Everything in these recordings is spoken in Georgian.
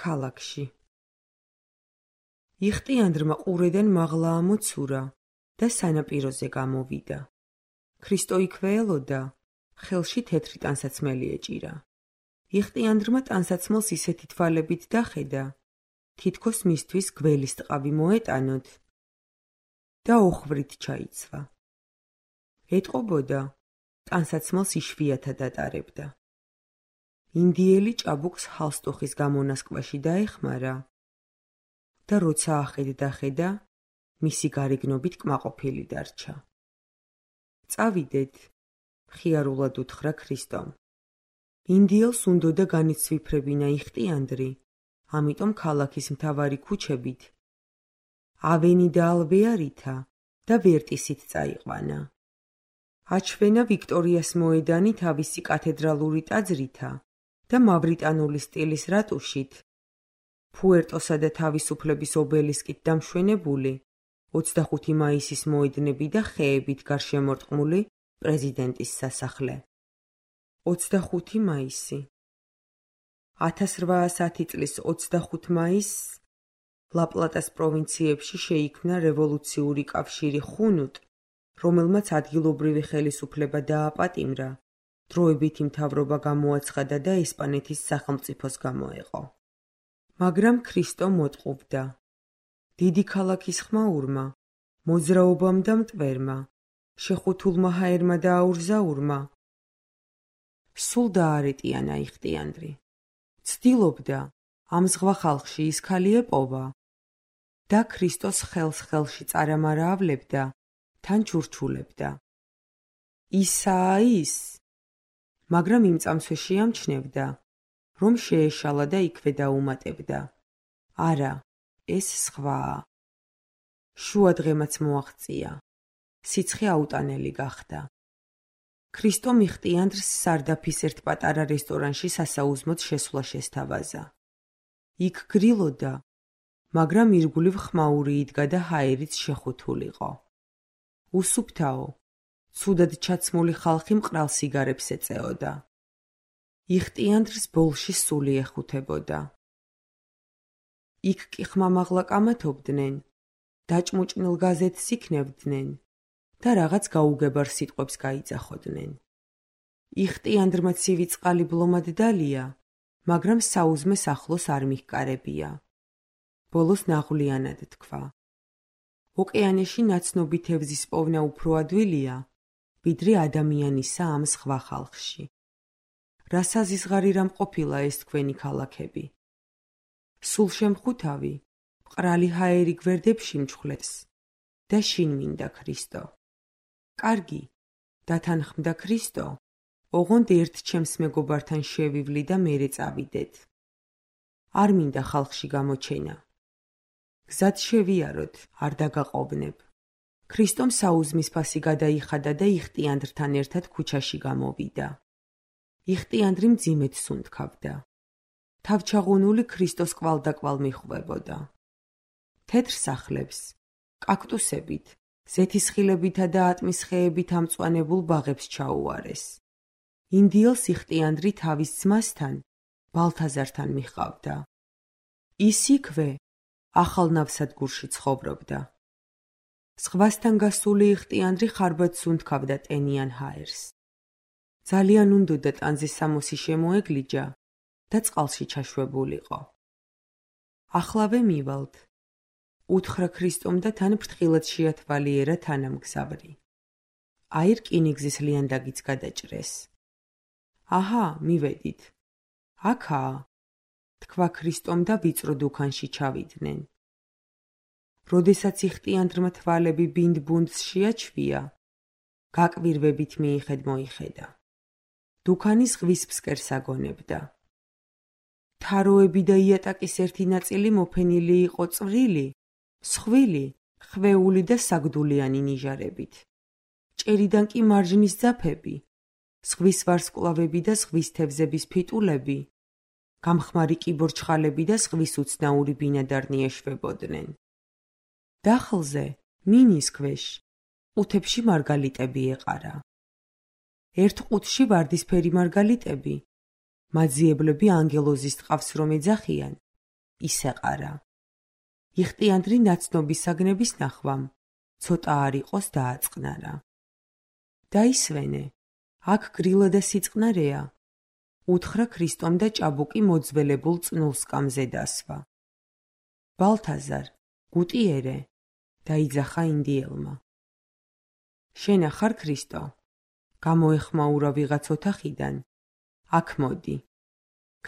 ქალაქში. იხტიანდრმა ყურედან მაღლა ამოცურა და სანაპიროზე გამოვიდა. ქრისტო იქვე ელოდა, ხელში თეთრი ტანსაცმელი ეჭირა. იხტიანდრმა ტანსაცმელს ისეთი თვალებით დახედა, თითქოს მისთვის გველის ტყავი მოეტანოთ და ოხვვრით ჩაიცვა. ეტყობოდა, ტანსაცმელს იშვიათად ატარებდა. ინდიელი ჭაბუკს ჰალსტუხის გამონასკვაში დაეხმარა და როცა ახედა, მისი გარეგნობით კმაყოფილი დარჩა. წავიდეთ, მხიარულად უთხრა ქრისტომ. ინდიელს უნდოდა განიცვიფრებინა იხტიანდრი, ამიტომ ქალაქის მთავარი ქუჩებით ავენი და ალბეარითა და ვერტისით წაიყვანა. აჩვენა ვიქტორიას მოედანი თავისი კათედრალური ტაძრითა და მავრიტანული სტილის რატუშით, ფუერტოსა და თავისუფლების ობელისკით დამშვენებული 25 მაისის მოედნები და ხეებით გარშემორტყმული პრეზიდენტის სასახლე. 25 მაისი 1810 წლის 25 მაისს ლა-პლატას პროვინციებში შეიქმნა რევოლუციური კავშირი ხუნუტ, რომელმაც ადგილობრივი ხელისუფლება დააპატიმრა, დროებითი მთავრობა გამოაცხადა და ესპანეთის სახელმწიფოს გამოეყო. მაგრამ ქრისტო მოტყუβდა. დიდი ქალაქის ხმაურმა, მოძრაობამ და მტვერმა, შეხუთულმა ჰაერმა და აურზაურმა სულ დაარეტიანა იხტიანდრი. ცდილობდა ამ ზღვა ხალხში ის ქალი ეპოვა და ქრისტოს ხელს ხელში წარამარაავლებდა, თან ჩურჩულებდა. ისაა ის, მაგრამ იმ წამსვე შეამჩნევდა, რომ შეეშალა და იქვე დაუმატებდა. არა, ეს სხვაა. შუა დღემაც მოაღწია. სიცხე აუტანელი გახდა. ქრისტომ იხტიანდრს სარდაფის ერთ პატარა რესტორანში სასაუზმოდ შესვლა შესთავაზა. იქ გრილოდა, მაგრამ ირგვლივ ხმაური იდგა და ჰაერიც შეხუთულიყო. უსუფთაო, ცუდად ჩაცმული ხალხი მყრალ სიგარებს ეწეოდა. იხტიანდრს ბოლში სული ეხუთებოდა. იქ კი ხმამაღლა კამათობდნენ, დაჭმუჭნილ გაზეთს იქნევდნენ და რაღაც გაუგებარ სიტყვებს გაიძახოდნენ. იხტიანდრმა ცივი წყალი ბლომად დალია, მაგრამ საუზმეს ახლოს არ მიჰკარებია. ბოლოს ნაღვლიანად თქვა. ოკეანეში ნაცნობი თევზის პოვნა უფრო ადვილია, ვიდრე ადამიანისა ამ სხვა ხალხში. რა საზიზღარი რამ ყოფილა ეს თქვენი ქალაქები? სულ შემხუთავი, მყრალი ჰაერი გვერდებში მჩხვლებს და შინ მინდა ქრისტო. კარგი, დათანხმდა ქრისტო, ოღონდ ერთ ჩემს მეგობართან შევივლი და მერე წავიდეთ. არ მინდა ხალხში გამოჩენა. გზად შევიაროთ, არ დაგაყოვნებ. ქრისტომ საუზმის ფასი გადაიხადა და იხტიანდრთან ერთად ქუჩაში გამოვიდა. იხტიანდრი მძიმედ სუნთქავდა. თავჩაღუნული ქრისტოს კვალდაკვალ მიხვდებოდა. თეთრ სახლებს, კაქტუსებით, ზეთისხილებითა და ატმის ხეებით ამწვანებულ ბაღებს ჩაუარეს. ინდიელს იხტიანდრი თავის ძმასთან, ბალთაზართან მიჰყავდა. ის იქვე, ახალ ნავსადგურში ცხოვრობდა. ზღვასთან გასული იხტიანდრი ხარბად სუნთქავდა ტენიან ჰაერს. ძალიან უნდოდა ტანზის სამოსი შემოეგლიჯა და წყალში ჩაშვებულიყო. ახლავე მივალთ, უთხრა ქრისტომ და თან ფრთხილად შეათვალიერა თანამგზავრი. აი რკინიგზის ლიანდაგიც გადაჭრეს. აჰა, მივედით. აქაა, თქვა ქრისტომ და ვიწრო დუქანში ჩავიდნენ. როდესაც იხტიანდრმა თვალები ბინდ-ბუნდს შეაჩვია, გაკვირვებით მიიხედა. დუქანი ზღვის ფსკერს აგონებდა. თაროები და იატაკის ერთი ნაწილი მოფენილი იყო წვრილი, მსხვილი, ხვეული და საგდულიანი ნიჟარებით. ჭერიდან კი მარჯნის ძაფები, ზღვის ვარსკვლავები და ზღვის თევზების ფიტულები, გამხმარი კიბორჩხალები და ზღვის უცნაური ბინადარნი ეშვებოდნენ. დახლზე, მინის ქვეშ, ყუთებში მარგალიტები ეყარა. ერთ ყუთში ვარდისფერი მარგალიტები, მაძიებლები ანგელოზის ტყავს რომ ეძახიან, ისეყარა. იხტიანდრი ნაცნობი საგნების ნახვამ, ცოტა არ იყოს დააწყნარა. დაისვენე, აქ გრილა და სიწყნარეა, უთხრა ქრისტომ და ჭაბუკი მოძველებულ წნულ სკამზე დასვა. ბალთაზარ, გუტიერე, დაიძახა ინდიელმა. შენ ახარ ქრისტო, გამოეხმაურა ვიღაც ოთახიდან, აქ მოდი.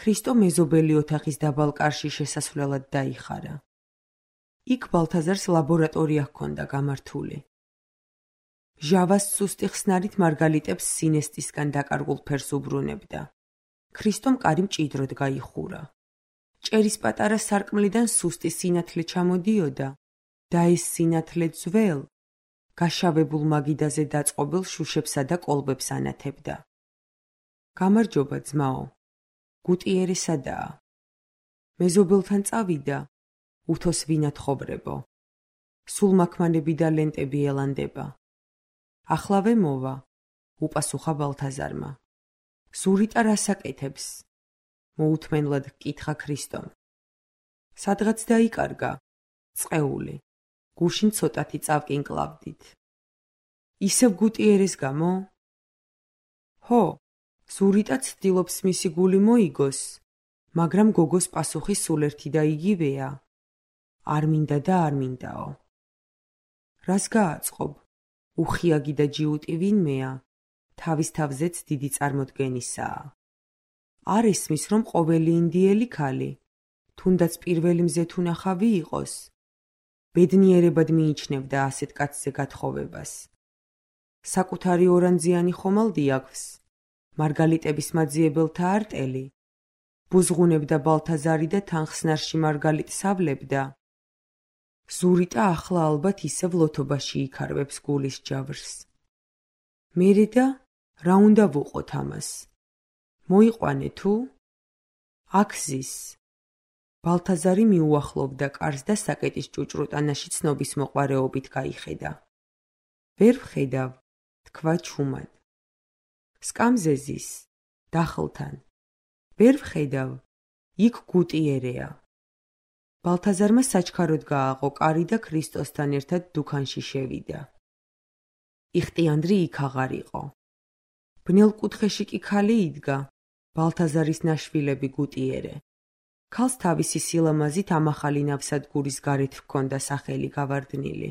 ქრისტო მეზობელი ოთახის დაბალ კარში შესასვლელად დაიხარა. იქ ბალთაზარს ლაბორატორია ჰქონდა გამართული. ჟავას სუსტი ხსნარით მარგალიტებს სინესტისგან დაკარგულ ფერს უბრუნებდა. ქრისტომ კარი მჭიდროდ გაიხურა. ჭერის პატარა სარკმლიდან სუსტი სინათლე ჩამოდიოდა და ეს სინათლე ძველ, გაშავებულ მაგიდაზე დაწყობილ შუშებსა და კოლბებს ანათებდა. გამარჯობა ძმაო, გუტიერე სადაა? მეზობელთან წავიდა, უთოს ვინათხოვრებო. სულ მაქმანები და ლენტები ელანდება. ახლავე მოვა, უპასუხა ბალთაზარმა. ზურიტა რას აკეთებს? მოუთმენლად ჰკითხა ქრისტომ. სადღაც დაიკარგა, წყეული, გუშინ ცოტათი წავკინკლავდით. ისევ გუტიერეს გამო? ჰო, ზურიტა ცდილობს მისი გული მოიგოს, მაგრამ გოგოს პასუხი სულ ერთი და იგივეა. არ მინდა და არ მინდაო. რას გააწყობ? უხიაგი და ჯიუტი ვინმეა, თავის თავზეც დიდი წარმოდგენისაა. არ ესმის, რომ ყოველი ინდიელი ქალი, თუნდაც პირველი მზეთუნახავი იყოს, ბედნიერებად მიიჩნევდა ასეთ კაცზე გათხოვებას. საკუთარი ორანძიანი ხომალდი აქვს, მარგალიტების მაძიებელთა არტელი, ბუზღუნებდა ბალთაზარი და თანხსნარში მარგალიტს ავლებდა. ზურიტა ახლა ალბათ ისევ ლოთობაში იქარვებს გულის ჯავრს. მერე და რა უნდა ვუყოთ ამას? მოიყვანე თუ? აქ ზის. ბალთაზარი მიუახლოვდა კარს და საკეტის ჭუჭრუტანაში ცნობის მოყვარეობით გაიხედა. ვერ ვხედავ, თქვა ჩუმად. სკამზე ზის, დახლთან. ვერ ვხედავ, იქ გუტიერეა. ბალთაზარმა საჩქაროდ გააყო კარი და ქრისტოსთან ერთად დუქანში შევიდა. იხტიანდრი იქ აღარ იყო. ბნელ კუთხეში კი ქალი იდგა, ბალთაზარის ნაშვილები გუტიერე. ქალს თავისი სილამაზით ამახალი ნავსადგურის გარეთ ჰქონდა სახელი გავარდნილი.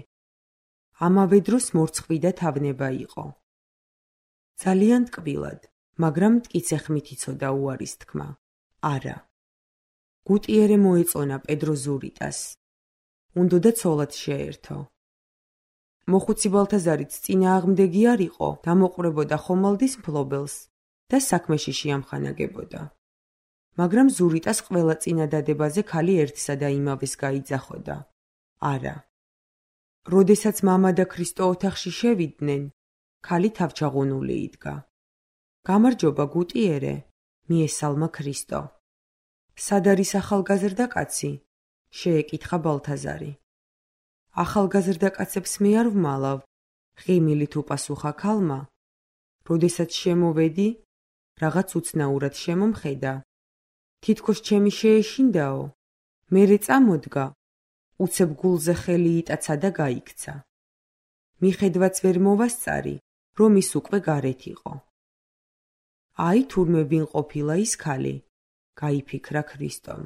ამავე დროს მორცხვი და თავნება იყო. ძალიან ტკბილად, მაგრამ მტკიცე ხმით იცოდა უარის თქმა. არა. გუტიერე მოეწონა პედრო ზურიტას. უნდოდა ცოლად შეერთო. მოხუცი ბალთაზარიც წინააღმდეგი არ იყო, დამოყვრებოდა ხომალდის მფლობელს და საქმეში შეამხანაგებოდა. მაგრამ ზურიტას ყველა წინადადებაზე ქალი ერთსა და იმავეს გაიძახოდა. არა. როდესაც მამა და ქრისტო ოთახში შევიდნენ, ქალი თავჩაღუნული იდგა. გამარჯობა გუტიერე, მიესალმა ქრისტო. სად არის ახალგაზრდა კაცი? შეეკითხა ბალთაზარი. ახალგაზრდა კაცებს მე არ ვმალავ, ღიმილით უპასუხა ქალმა. როდესაც შემოვედი, რაღაც უცნაურად შემომხედა. თითქოს ჩემი შეეშინდაო, მერე წამოდგა, უცებ გულზე ხელი იტაცა და გაიქცა. მიხედვაც ვერ მოვასწარი, რომ ის უკვე გარეთ იყო. აი თურმე ვინ ყოფილა ის ქალი, გაიფიქრა ქრისტომ.